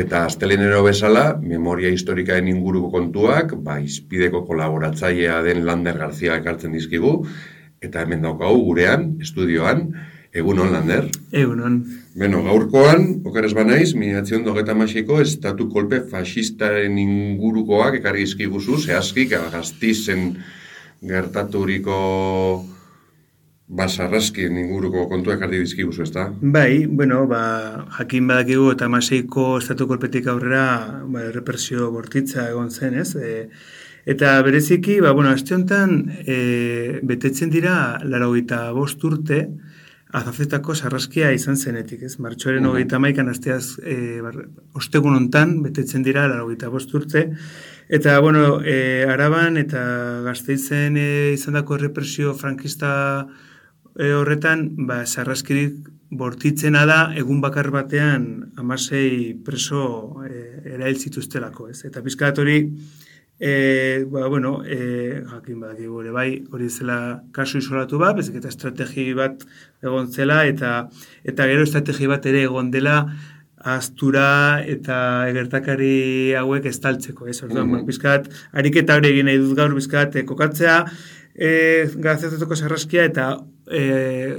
Eta astelenero bezala, memoria historikaen inguruko kontuak, izpideko kolaboratzailea den Lander Garzia ekartzen dizkigu, eta hemen daukagu gurean, estudioan, egunon Lander. Egunon. Beno, gaurkoan, okeres banaiz, 1926ko estatu kolpe faxistaren ingurukoak ekarri dizkiguzu, zehazki, Gasteizen gertaturiko basarraskien inguruko kontuak ekarri dizkiguzu, ezta? Bai, jakin badakigu eta 26ko estatu kolpetik aurrera represio bortitza egon zen, ez? Eta bereziki, aste honetan betetzen dira 85 urte Azazetako sarraskia izan zenetik, ez? Martxoaren 31an asteaz ostegun hontan betetzen dira 85 urte. Eta, Araban eta Gasteizen izandako represio frankista horretan, sarraskirik bortitzena da, egun bakar batean 16 preso erail zituztelako, ez? Eta pizkat hori, jakin badakigu ere bai, hori zela kasu isolatu bat, bezik eta estrategi bat egon zela, eta gero estrategi bat ere egon dela ahaztura eta gertakari hauek estaltzeko, ez? Orduan, pizkat, ariketa hori egin nahi dut gaur, pizkat, kokatzea, Gazetako sarraskia eta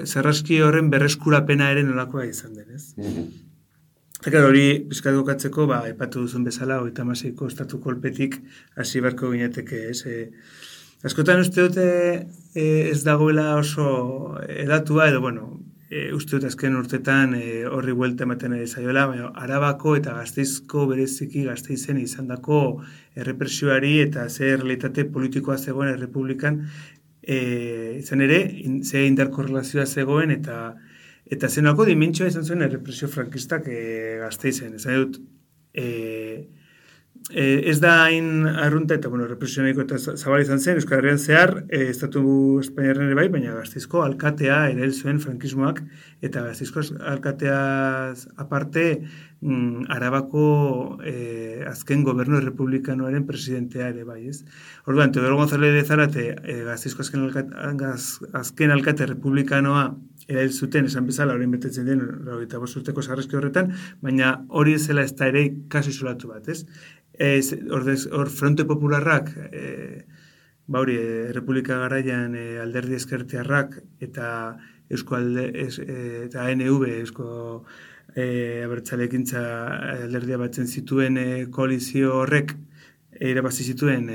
sarraski horren berreskurapena ere nolakoa izan den, ez? Eta hori pizkat kokatzeko, aipatu duzun bezala, 36ko estatu kolpetik hasi beharko ginateke, ez? Askotan uste dute ez dagoela oso edatua, edo, uste dut azken urtetan horri buelta ematen ari zaiola, Arabako eta Gasteizko bereziki Gasteizen izandako errepresioari eta ze realitate politikoa zegoen errepublikan izan ere, ze indarkorrelazioa zegoen eta zenako dimentsioa izan zuen errepresio frankistak Gasteizen. Ezan dut, ez da hain arrunta eta, represio nahiko eta zabal izan zen, Euskal Herrian zehar, Estatu Espainiarren ere bai, baina Gasteizko alkatea erail zuen frankismoak, eta Gasteizko alkateaz aparte, Arabako azken gobernu republikanoaren presidentea ere bai, ez? Orduan, Teodoro González de Zárate, Gasteizko azken alkate republikanoa erail zuten, esan bezala, horien betetzen den, 85 urteko sarraski horretan, baina hori zela ez da ere kasu isolatu bat, ez? Hor Fronte Popularrak, Republika Garaian alderdi ezkertiarrak eta eta ANV, Eusko Abertzalekintza alderdia batzen zituen koalizio horrek irabazi zituen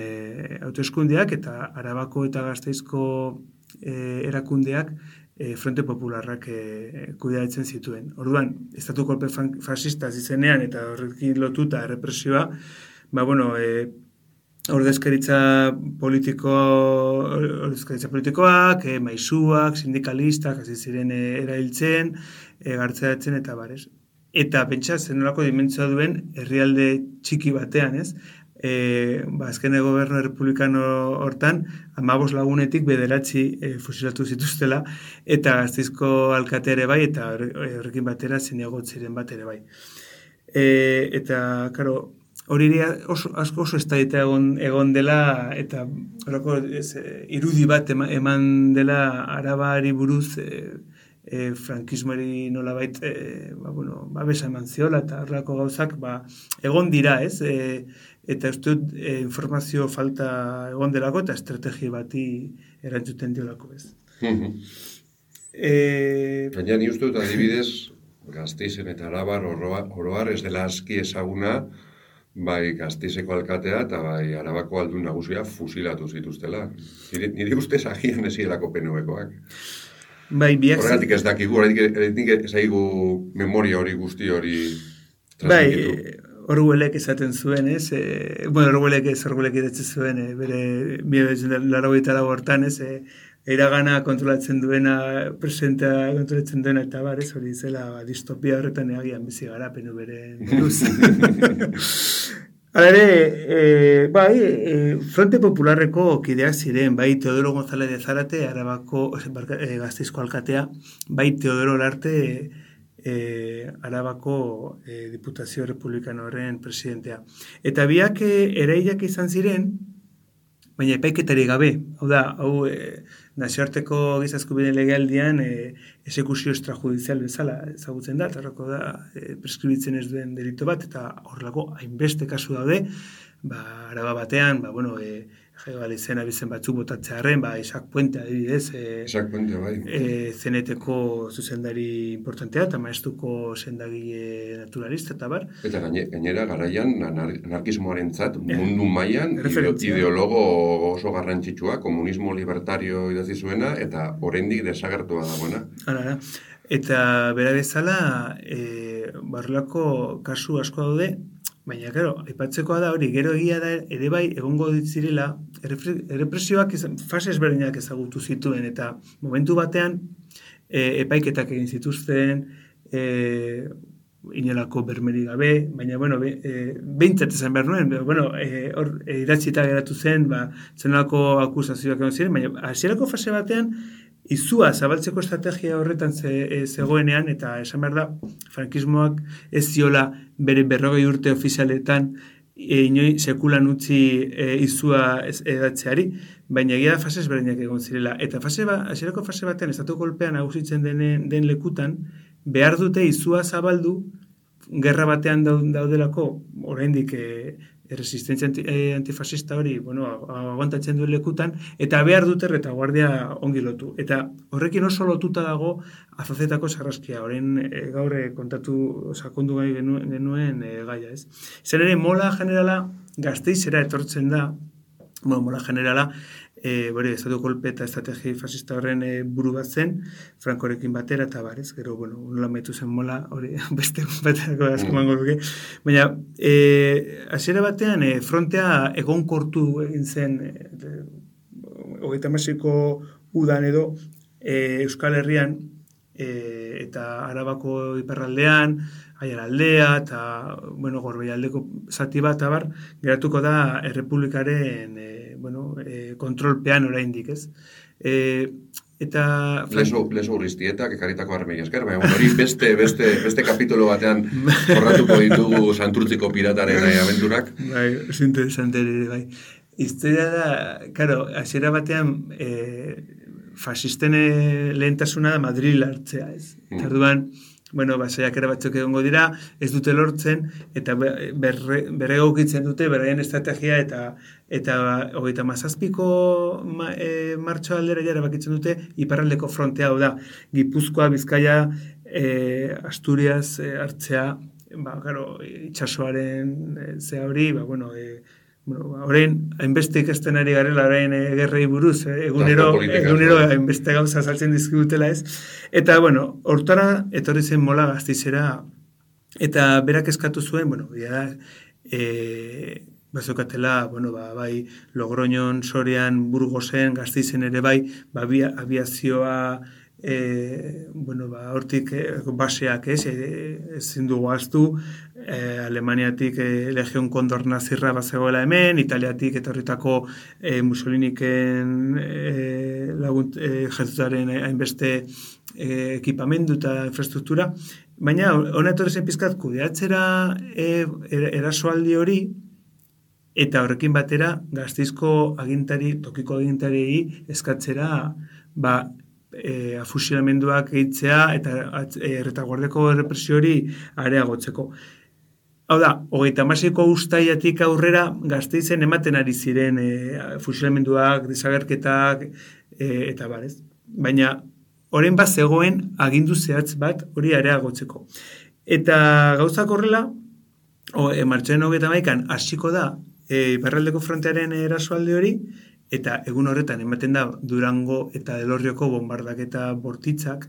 hauteskundeak eta Arabako eta Gasteizko erakundeak Fronte Popularrak kudeatzen zituen. Orduan, estatu kolpe fascista izenean eta horrekin lotuta errepresioa, ordezkaritza politikoak, maisuak, sindikalistak, hasi ziren erailtzen, gartzeratzen eta barez. Eta pentsa zenolako dimentsioa duen herrialde txiki batean, ez? Azken gobernu republikano hortan, 15 lagunetik 9 fusilatu zituztela, eta Gasteizko alkate ere bai, eta horrekin batera zinegotziren bat ere bai. Eta, karo, hori asko oso eztabaida egon dela, eta horako irudi bat eman dela Arabari buruz, frankismoari nolabait babesa eman ziola, eta horrelako gauzak egon dira, ez? Eta uste dut informazio falta egon delako eta estrategi bati erantzuten diolako, ez. Baina ni uste dut adibidez, Gasteizen eta Arabar oroar ez dela aski ezaguna, bai Gasteizeko alkatea eta bai Arabako aldun nagusia fusilatu zituztela. Nire ustez agian ezielako PNV-koak. Bai, biak... Horregatik ez dakigu, horregatik ez daigu memoria hori guzti hori transmititu. Bai, Orwellek esaten zuen, ez? Orwellek idatzen zuen, bere 1984 hortan, ez? Iragana kontrolatzen duena, presentea kontrolatzen duena, eta ez hori zela distopia horretan egian bizi gara, PNV-ren buruz. Hala ere, Fronte Popularreko kideak ziren, bai Teodoro González de Zárate, Arabako, Gasteizko alkatea, bai Teodoro Olarte, Arabako Diputazio Republikano horren presidentea. Eta biak erailak izan ziren, baina epaiketari gabe. Hau da, nazioarteko giza eskubideen legealdian exekuzio extrajudizial bezala ezagutzen da, eta da preskribitzen ez duen delito bat, eta horrelako hainbeste kasu daude, araba batean, Galizien abizen batzuk botatzearen, Isaac Puente adibidez, Isaac Puente, bai. Zeneteko zuzendari importantea, eta maestuko sendagile naturalista, eta bar. Eta gainera garaian, anarkismoarentzat mundu mailan ideologo oso garrantzitsua, komunismo libertario idatzi zuena, eta oraindik desagertua dagoena. Hala, eta bera bezala, barrelako kasu asko daude, baina, claro, aipatzekoa da hori, gero egia da ere bai egongo ditzirela, errepresioak fase ezberdinak ezagutu zituen, eta momentu batean epaiketak egin zituzten, inolako bermeri gabe, baina, behintzat esan behar nuen, hor idatzita geratu zen, zenolako akusazioak egon ziren, baina hasierako fase batean, izua zabaltzeko estrategia horretan zegoenean, eta esan behar da, frankismoak ez ziola bere 40 urte ofizialetan inoi sekulan utzi izua edatzeari, baina egia da fase ezberdinak egon zirela. Eta hasierako fase batean, estatu kolpean nagusitzen den lekutan, behar dute izua zabaldu, gerra batean daudelako, oraindik resistentzia antifascista hori, aguantatzen duen lekutan, eta behar dute retaguardia ongi lotu. Eta horrekin oso lotuta dago azozetako sarraskia, orain gaur kontatu sakondu gai genuen gaia, ez? Izan ere, mola generala Gasteizera etortzen da, mola generala, estatu kolpe eta estrategi fascista horren buru bat zen, Frankorekin batera, eta barez, gero, nola metu zen mola, hori beste baterako asko mango duke. Baina, hasiera batean, frontea egonkortu egin zen, 36ko udan edo, Euskal Herrian, eta Arabako iparraldean, Aiaraldea, eta, Gorbeialdeko zati bat, abar, geratuko da Errepublikaren kontrolpean oraindik, ez? Eta Lezo Urriztietak ekarritako armei esker, baina hori beste kapitolo batean jorratuko ditugu Santurtziko pirataren abenturak. Bai, es interesante ere, bai. Historia da, claro, hasiera batean fasisten lehentasuna da Madril hartzea, ez? Orduan, saiakera batzuk egongo dira, ez dute lortzen, eta berregokitzen dute, beraien estrategia, eta 37ko martxoaldera jara bakitzen dute, iparraldeko frontea hau da, Gipuzkoa, Bizkaia, Asturias hartzea, itxasoaren zea hori, orain, hainbeste ikasten ari garela orain gerrei buruz, egunero hainbeste gauza saltzen dizkigutela ez. Eta, hortara etorri zen mola Gasteizera, eta berak eskatu zuen, bazokatela, bai, Logroñon, Sorian, Burgosen, Gasteizen ere bai, abiazioa, hortik baseak ezin dugu ahaztu, Alemaniatik Legion Kondor nazirra bazegoela hemen, Italiatik etorritako Mussoliniken jertzutaren hainbeste ekipamendu eta infrastruktura, baina hona etorri zen pizkat kudeatzera erasoaldi hori, eta horrekin batera Gasteizko tokiko agintariei eskatzera, afusilamenduak egitzea eta retaguardeko errepresio hori areagotzeko. Hau da, 36ko uztailetik aurrera Gasteizen ematen ari ziren fusilamenduak, desagerketak, eta barez. Baina, orain bat zegoen agindu zehatz bat hori areagotzeko. Eta gauzak horrela, martxoaren 31an hasiko da iparraldeko frontearen erasoaldi hori, eta egun horretan ematen da Durango eta Elorrioko bombardaketa bortitzak.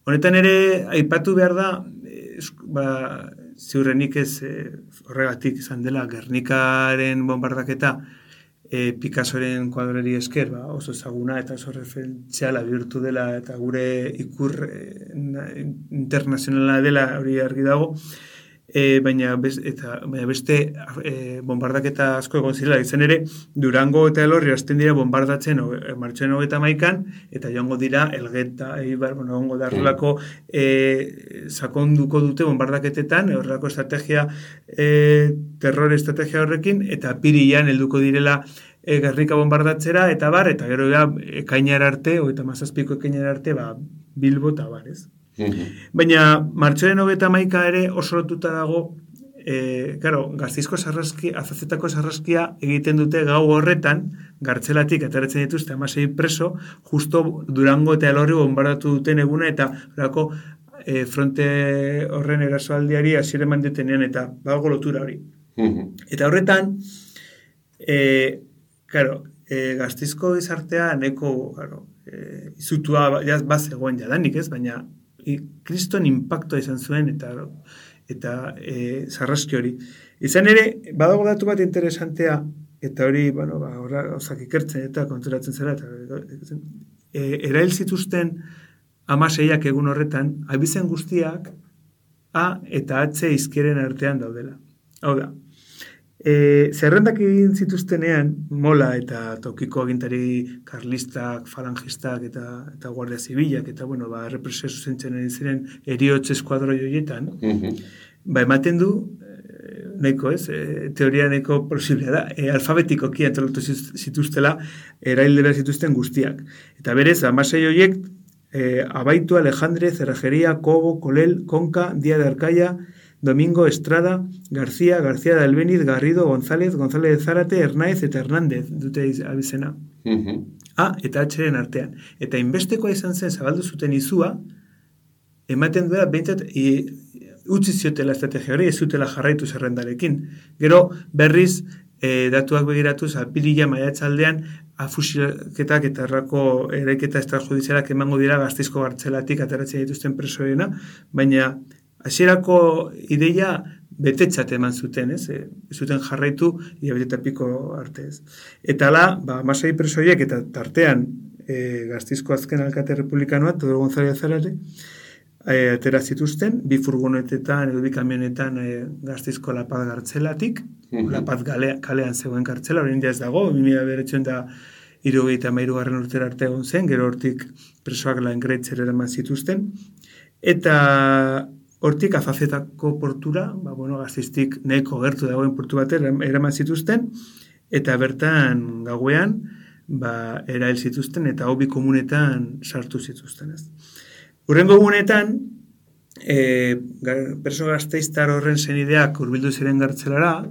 Honetan ere, aipatu behar da, ziurrenik ez horregatik izan dela Gernikaren bombardaketa Picassoren kuadrori esker, oso ezaguna eta oso referentziala bihurtu dela eta gure ikur internazionala dela hori argi dago, baina beste bombardaketa asko egon zirela, izan ere Durango eta Elorri hasten dira bombardatzen martxoaren 31an, eta joango dira Elgeta, egongo da horrelako sakonduko dute bombardaketetan, horrelako estrategia, terror estrategia horrekin, eta apirilean helduko direla Gernika bombardatzera, eta bar, eta gero ekainara arte, 37ko ekainara arte, Bilbo eta bar, ez? Baina, martxoaren 31 ere oso lotuta dago, Gasteizko sarraskia, Azazetako sarraskia egiten dute gau horretan, gartzelatik ateratzen dituzte 16 preso, justo Durango eta Elorri bombardatu duten eguna, eta fronte horren erasoaldiari hasiera eman detenean, eta badago lotura hori. Eta horretan, Gasteizko gizartea neko izutua bazegoen jadanik, ez? Baina kriston impactoa izan zuen eta sarraski hori. Izan ere, badago datu bat interesantea, eta hori, gauzak ikertzen eta konturatzen zera, erail zituzten 16ak egun horretan, abizen guztiak A eta H izkieren artean daudela. Hau da, zerrendak egin zituztenean, Mola eta tokiko agintari karlistak, falangistak eta guardia zibilak, eta represio zuzentzen egin ziren eriotz eskuadroi horietan, ematen du, nahiko ez, teoria nahiko posiblea da, alfabetikoki antolatu zituztela erailde behar zituzten guztiak. Eta berez, 16 horiek, Abaitu, Alejandre, Cerrajería, Cobo, Colel, Conca, Díaz de Arcaya, Domingo, Estrada, García de Albeniz, Garrido, González de Zárate, Hernáez eta Hernández dute abizena. A eta H-ren artean. Eta inbestekoa izan zen zabaldu zuten izua, ematen duela behintzat utzi ziotela estrategia hori, ez zutela jarraitu zerrendarekin. Gero berriz datuak begiratuz, apirila maiatzaldean, afusilketak eta errako eraiketa extrajudizialak emango dira Gasteizko gartzelatik ateratzen dituzten presoena, baina hasierako ideia betetzat eman zuten, ez? Zuten jarraitu hilabete piko arte, ez. Eta hala, 16 presoiek eta tartean Gasteizko azken alkate republikanoa, Teodoro González Zárate, atera zituzten, 2 furgonetetan edo 2 kamionetan Gasteizko La Paz gartzelatik, La Paz kalean zegoen kartzela, orain ez dago, 1973 urtera arte egon zen, gero hortik presoak Langretzer eraman zituzten, eta hortik Azazetako portura, Gasteiztik nahiko gertu dagoen portu batera eraman zituzten, eta bertan gauean, erail zituzten, eta hobi komunetan sartu zituzten, ez. Hurrengo egunetan, preso gasteiztar horren senideak hurbildu ziren gartzelara,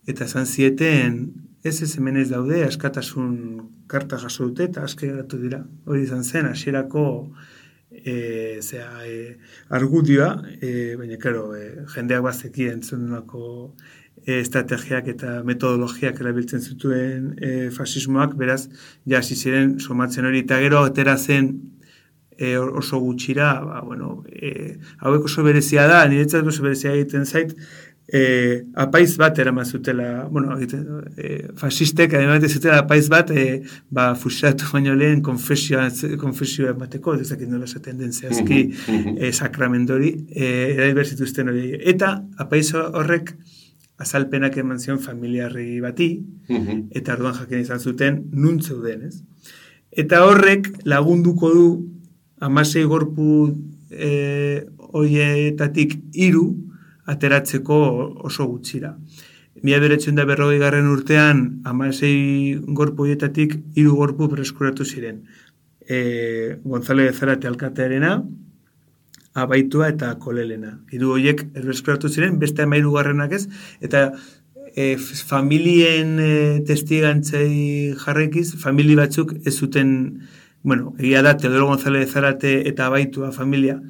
eta esan zieten, ez hemen ez daude, askatasun karta jaso dute, eta aske geratu dira. Hori izan zen, hasierako argudioa, baina, jendeak bazekien zendunako estrategiak eta metodologiak erabiltzen zituen fasismoak, beraz, hasi ziren somatzen hori, eta gero atera zen oso gutxira, hauek oso berezia da, niretzat oso berezia egiten zait, apaiz bat eraman zutela, fasistek ademate zutela apaiz bat, fusilatu baino lehen konfesioa emateko, ezakit nola esaten den zehazki sakramendori, erail berzituzten hori. Eta apaiz horrek azalpenak eman zion familiarri bati, eta orduan jakin izan zuten nun zeuden, ez? Eta horrek lagunduko du 16 gorpu horietatik 3 ateratzeko oso gutxira. 1940 urtean 16 gorpu horietatik 3 gorpu berreskuratu ziren. González de Zárate alkatearena, Abaitua eta Kolelena. 3 horiek berreskuratu ziren, beste 13 ez, eta familien testigantzei jarraikiz, famili batzuk ez zuten, egia da, Teodoro González de Zárate eta Abaitua familia,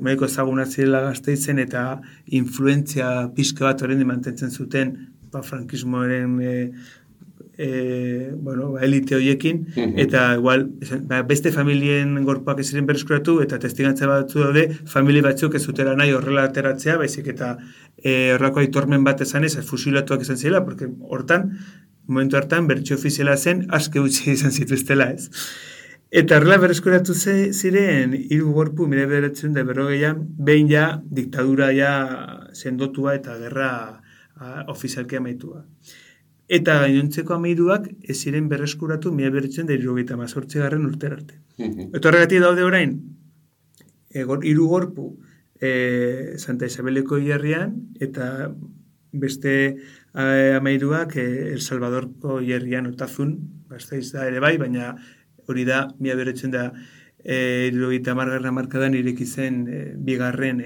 maiko ezagunak zirela Gasteizen eta influentzia pixka bat horrein mantentzen zuten frankismoaren elite horiekin, eta igual, beste familien gorpuak ez ziren berreskuratu, eta testigantza batzu daude, famili batzuk ez zutela nahi horrela ateratzea, baizik eta horrako aitormen bat esan ez, fusilatuak izan zirela, porque momentu hartan, bertxio ofiziala zen, aske utzi izan zituztela ez. Eta horrela berreskuratu ziren 3 gorpu 1940an, behin ja diktadura ja sendotua eta gerra ofizialki amaitua. Eta gainontzeko 13ak ez ziren berreskuratu 1978 urtera arte. Eta horregatik daude orain, 3 gorpu Santa Isabeleko hilerrian, eta beste amairuak El Salvadorko hierrian Otazun, Gasteiz da ere bai, baina hori da, 1970 hamarkadan ireki zen bigarren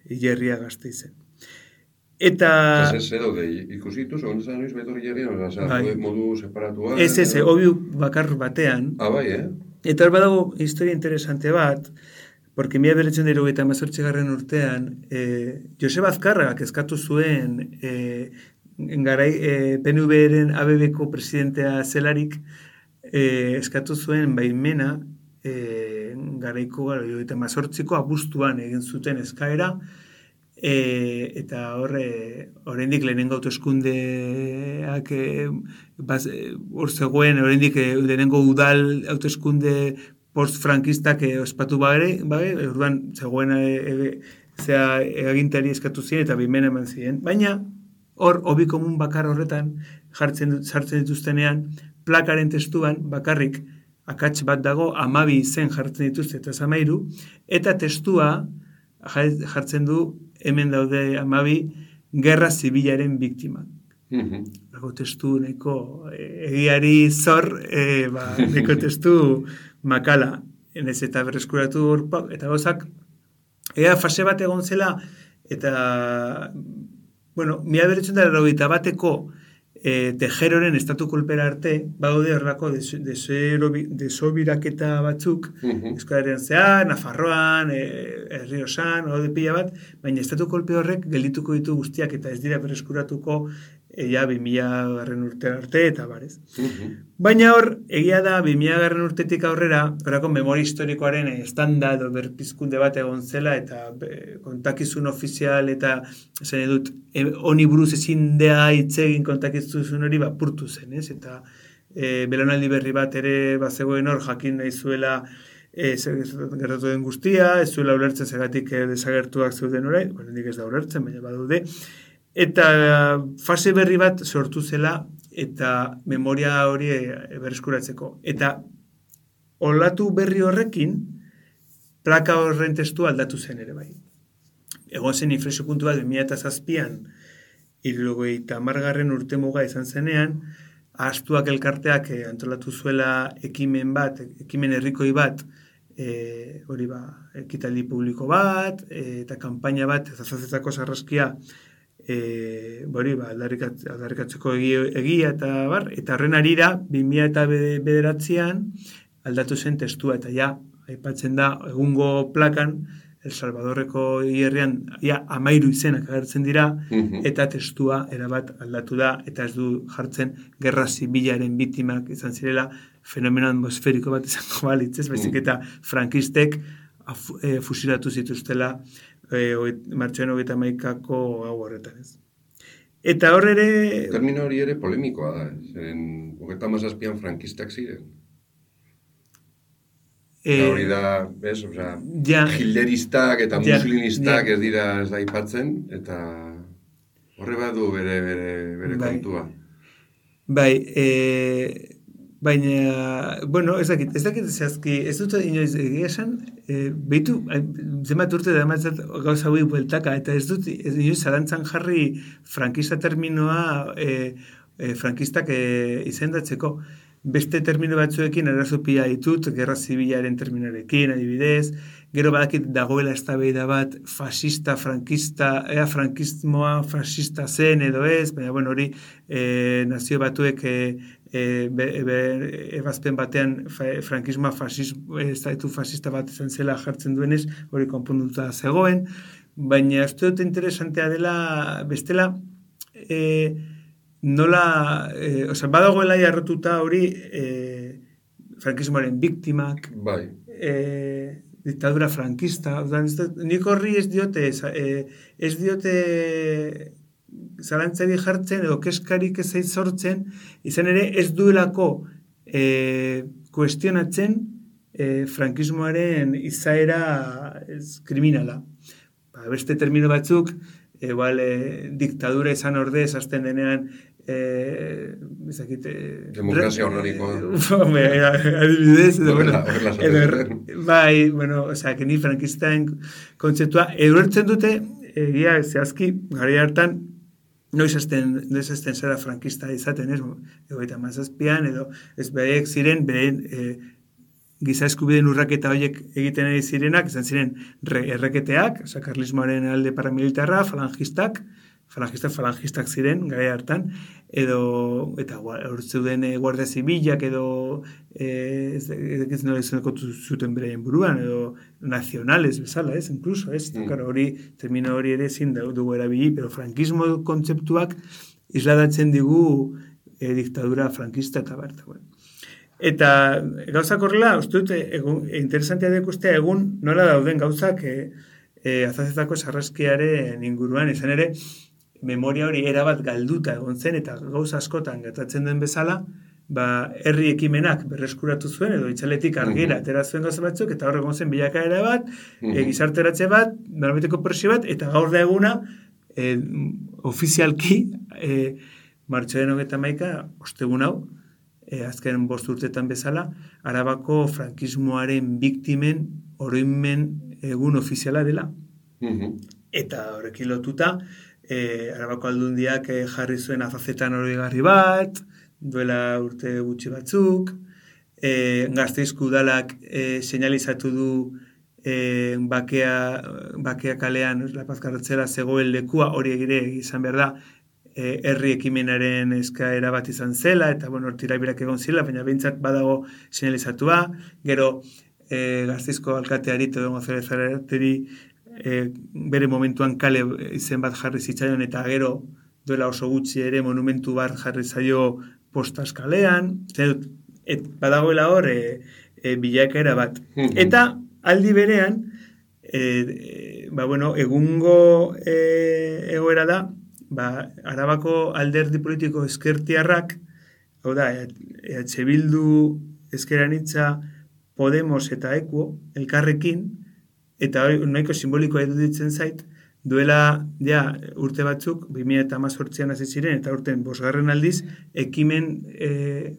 hierria Gasteizen. Eta... Ez daude, ikusitu, segon zan noiz betor hierrian, modu separatua? Ez, hobi bakar batean. Bai, Eta hor badago historia interesante bat, porque 1978 urtean, Joseba Azkarragak eskatu zuen PNV-ren ABB-ko presidentea zelarik, eskatu zuen baimena garaiko 78ko abuztuan egin zuten eskaera, eta oraindik lehenengo hauteskundeak hor zegoen, oraindik lehenengo udal hauteskunde post-frankistak ospatu bagere, orduan zegoen agintari eskatu ziren eta baimena eman ziren. Baina, hor, hobi komun bakar horretan sartzen dituztenean, plakaren testuan bakarrik akats bat dago, 12 izen jartzen dituzte eta 13, eta testua jartzen du hemen daude 12 gerra zibilaren biktimak. Dago testu nahiko egiari zor, nahiko testu makala, enez eta berreskuratu hor, eta gozak, fase bat egon zela, eta, bueno, 1981 Tejeroren estatu kolpera arte, baude horrako desobiraketa batzuk, Euskal Herrian Nafarroan, Errioxan, hode pila bat, baina estatu kolpe horrek geldituko ditu guztiak eta ez dira berreskuratuko 2000 urte arte eta barez. Baina hor, egia da 2000 urtetik aurrera, horako memoria historikoaren estanda edo berpizkunde bat egon zela eta kontakizun ofizial eta zen edut, honi buruz ezin da hitzegin kontakizun hori purtu zen, ez? Eta belaunaldi berri bat ere bazegoen hor jakin nahi zuela gertatu den guztia, ez zuela ulertzen zegatik desagertuak zeuden orain, nik ez da ulertzen, baina badaude. Eta fase berri bat sortu zela eta memoria hori berreskuratzeko. Eta olatu berri horrekin plaka horren testu aldatu zen ere bai. Egon zen inflexio puntu bat 2007an 70. urtemuga izan zenean, Ahaztuak elkarteak antolatu zuela ekimen herrikoi bat, hori ekitaldi publiko bat, eta kanpaina bat, ezazazetako sarraskia, aldarrikatzeko egia eta horren arira 2009an aldatu zen testua eta aipatzen da egungo plakan El Salvadorreko hierrian 13 izenak agertzen dira eta testua erabat aldatu da eta ez du jartzen gerra zibilaren biktimak izan zirela fenomeno atmosferiko bat izango balitz, ez baizik eta frankistek fusilatu zituztela martxoaren 31ko gau horretan, ez. Eta hor ere... Termino hori ere polemikoa da, zeren 37an frankistak ziren. Hori da, bez, hilderistak eta muslimistak ez dira ez da aipatzen, eta horre badu bere kontua. Bai, baina, bueno, ez dakit zehazki, ez dut inoiz egia esan, behitu, zenbat urte da matzat gauza hori bueltaka, eta ez dut inoiz zalantzan jarri frankista terminoa frankistak izendatzeko. Beste termino batzuekin arazo-pila ditut, gerra zibilaren terminarekin, adibidez, gero badakit dagoela eztabaida bat fascista, frankista, frankismoa fascista zen edo ez, baina bueno, hori nazio batuek ebazpen batean frankismoa estatu fascista bat izan zela jartzen duenez, hori konponduta zegoen, baina ez dut interesantea dela bestela, nola, badagoela jarrotuta hori frankismoaren biktimak, diktadura frankista, nik horri ez diote zalantzari jartzen edo keskarik ez sortzen, izan ere ez duelako kuestionatzen frankismoaren izaera kriminala. Beste termino batzuk, diktadura izan ordez, azten denean demokrazia horrarikoa. Adibidez, bai, bueno, que ni frankistain kontzeptua, edurtzen dute, egia zehazki, gara hartan, noiz esten zara frankista izaten, ez? 37an edo ez bereek ziren, beren giza eskubideen urraketa horiek egiten ari zirenak, izan ziren erreketeak, karlismoaren alde paramilitarra, falangistak ziren, gara hartan, eta hor zeuden guardia zibilak edo ez nola izaneko zuten beraien buruan, edo nazionales bezala, ez, incluso, ez, termino hori ere ezin dugu erabili, pero frankismo kontzeptuak isladatzen digu diktadura frankista eta berta, bueno. Eta gauzak horrela, uste dut, interesantea dekustea egun nola dauden gauzak azazetako sarraskiaren inguruan, izan ere, memoria hori erabat galduta egon zen, eta gauza askotan gertatzen den bezala, herri ekimenak berreskuratu zuen, edo itzaletik argira atera zuen gauza batzuk, eta hor egon zen bilakaera bat, gizarteratze bat, norabiteko presio bat, eta gaur da eguna, ofizialki, martxoaren 21, ostegun hau, azken 5 urtetan bezala, Arabako frankismoaren biktimen oroimen egun ofiziala dela. Eta horrekin lotuta, Arabako aldundiak jarri zuen azazetan oroigarri bat, duela urte gutxi batzuk, Gasteizko udalak seinalizatu du bakea kalean, La Paz kartzela zegoen lekua, hori ere izan behar da, herri ekimenaren eskaera bat izan zela, eta tirabirak egon zela, baina behintzat badago seinalizatua, gero Gasteizko alkateari, Teodoro González Zarateri, bere momentuan kale izen bat jarri zitzaion, eta gero duela oso gutxi ere monumentu bat jarri zaio Postas kalean, badagoela hor bilakaera bat. Eta aldi berean, egungo egoera da, Arabako alderdi politiko ezkertiarrak, hau da, EH Bildu, Ezker Anitza, Podemos eta Ekuo, elkarrekin, eta hori nahiko simbolikoa iruditzen zait, duela urte batzuk, 2018an hasi ziren, eta urten 5. aldiz, ekimen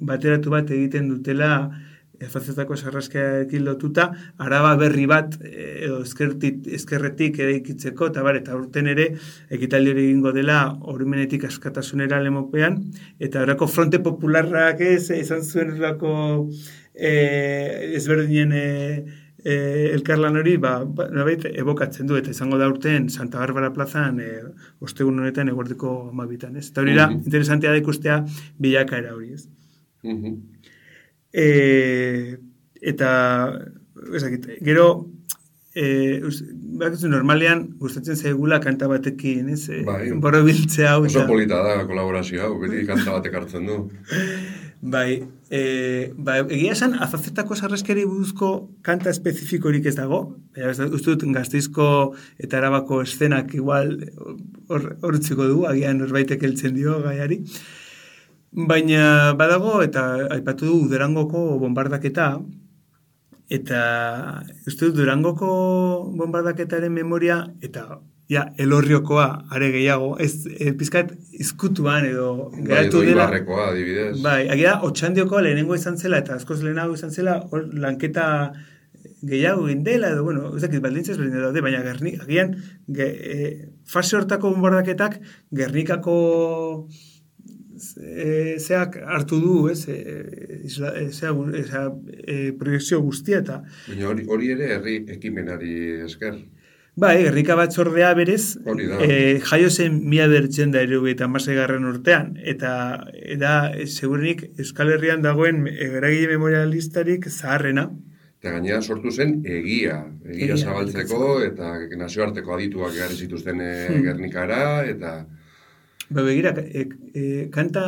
bateratu bat egiten dutela azazetako sarraskiarekin lotuta, Araba berri bat edo ezkerretik eraikitzeko, eta urten ere ekitaldi hori egingo dela oroimenetik askatasunera lemopean, eta horako fronte popularrak izan zuen horako ezberdinen elkarlan hori evokatzen du, eta izango da urten Santa Barbara plazan ostegun honetan eguerdiko 12an, ez? Eta hori da, interesantea da ikustea bilakaera hori, ez? Eta gero normalean gustatzen zaigula kanta batekin, ez? Borobiltzea hau. Oso polita da kolaborazio hau, beti kanta batek hartzen du. Egia esan, azazetako sarraskiari buruzko kanta espezifikorik ez dago, uste dut Gasteizko eta Arabako eszenak igual hortziko du, agian norbaitek heltzen dio gaiari. Baina badago, eta aipatu du Durangoko bombardaketa, eta uste dut Durangoko bombardaketaren memoria, eta Elorriokoa are gehiago, ez pizkat izkutuan edo geratu dela. Ibarrekoa, adibidez. Agia, Otxandiokoa lehenengo izan zela, eta askoz lehenago izan zela, lanketa gehiago egin dela, edo, baldintzaz berdin daude, baina agian, fase hortako bombardaketak, Gernikako zeak hartu du, proiekzio guztia eta... Baina hori ere herri ekimenari esker. Gernika batzordea berez, jaio zen 1976 urtean, eta segurenik Euskal Herrian dagoen eragile memorialistarik zaharrena. Eta gainera sortu zen egia zabaltzeko, eta nazioarteko adituak egarri zituzten Gernikara, eta... Begira, kanta...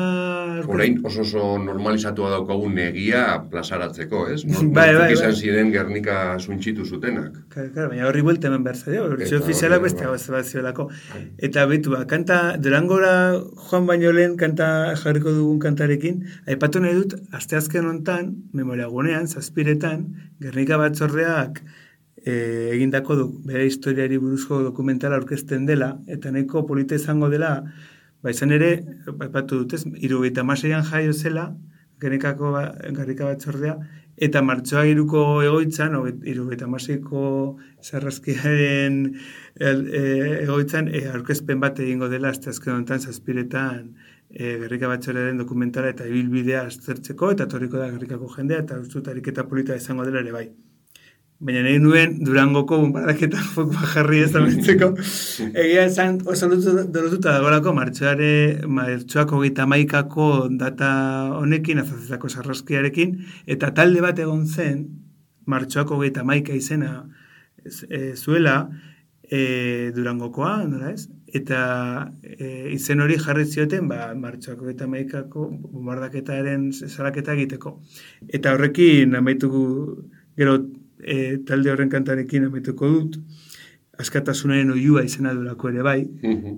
Orain oso normalizatua daukagun egia plazaratzeko, ez? Nortzuk izan ziren Gernika suntxitu zutenak. Baina horri buelta hemen behar zaio, bertxio ofiziala beste bat ziolako. Eta betu, kanta, Durangora joan baino lehen kanta jarriko dugun kantarekin, aipatu nahi dut, asteazken hontan, memoria gunean, 7etan, Gernika batzordeak egindako bere historiari buruzko dokumentala aurkezten dela, eta nahiko polita izango dela, izan ere, aipatu dut ez, 76an jaio zela, Gernika batzordea, eta martxoak 3ko egoitzan, 76ko sarraskiaren egoitzan, aurkezpen bat egingo dela, asteazken honetan 7etan, Gerrika Batzordearen dokumentala eta ibilbidea aztertzeko, eta etorriko da Gerrikako jendea, eta uste dut ariketa polita izango dela ere bai. Baina nahi nuen Durangoko bonbardaketan fokua jarri ez amentzeko. Egia esan oso dolotuta dagolako martxoak 31ko data honekin, Azazetako sarraskiarekin, eta talde bat egon zen, martxoak 31 izena zuela, Durangokoa, nola ez? Eta izen hori jarri zioten, martxoak 31ko bombardaketaren salaketa egiteko. Eta horrekin amaituko gero talde horren kantarekin amaituko dut, Askatasunaren oihua izena durako ere bai,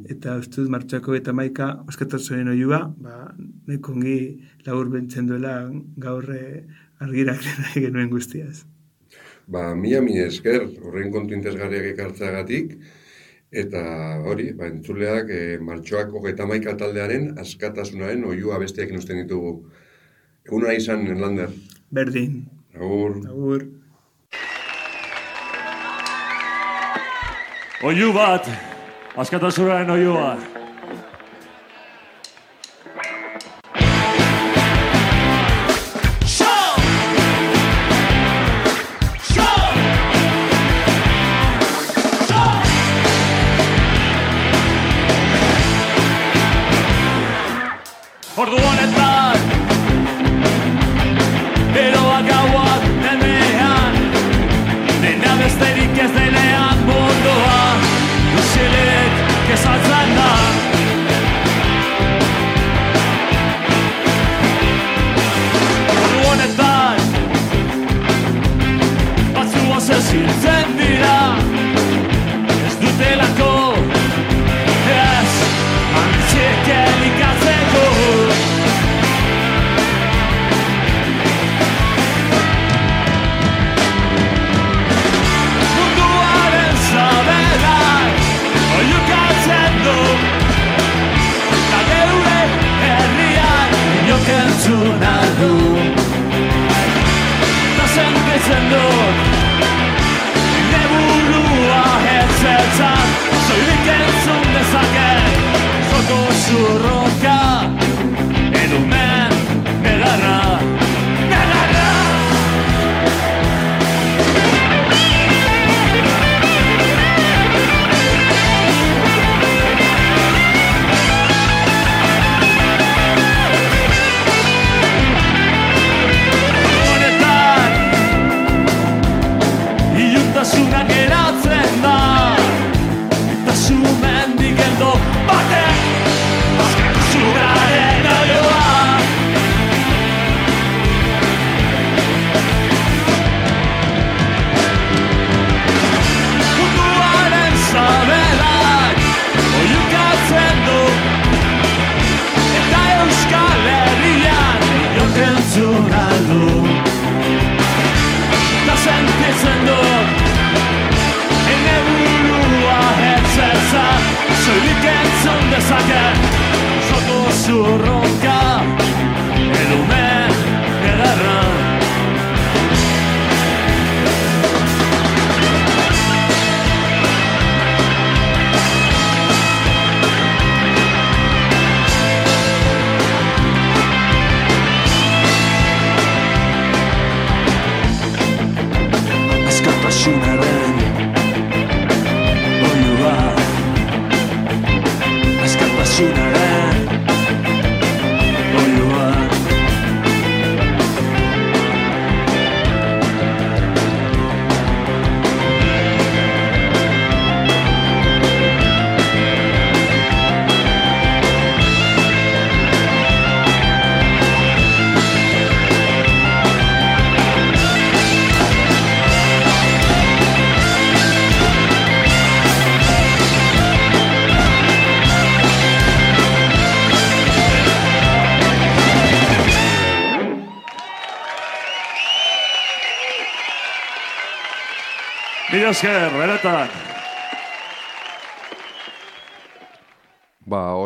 eta uste dut martxoak 31 Askatasunaren oihua, nahiko ongi labur bentzen duela gaur argirak nahi genuen guztiaz. Mila esker horren kontu interesgarriak ekartzeagatik, eta hori, entzuleak martxoak 31 taldearen Askatasunaren oihua besteak usten ditugu. Egun hona izan, Lander. Berdin. Agur. Agur. Oihu bat, Askatasunaren oihua. Ordu honetan, eroak gauak denean, dena besterik ez denean mundua, usilik kezatzen da. Ordu honetan, batzu aseziltzen dira, ez dutelako, ez antzik elikatzeko. Entzuna du eta sentitzen dut neburua hertzetan soilik entzun dezaket zoko zurroka edumen negarra Iluntasunak geratzen da eta zumendik geldo batek Askatasunaren oihua. Munduaren sabelak oihukatzen du eta Euskal Herrian inok entzun aldu eta sentitzen dut neburua hertzetan soilik entzun dezaket zoko zurroka edumen negarra. Askatasunaren oihua, Askatasunaren oihua. Mila esker, benetan.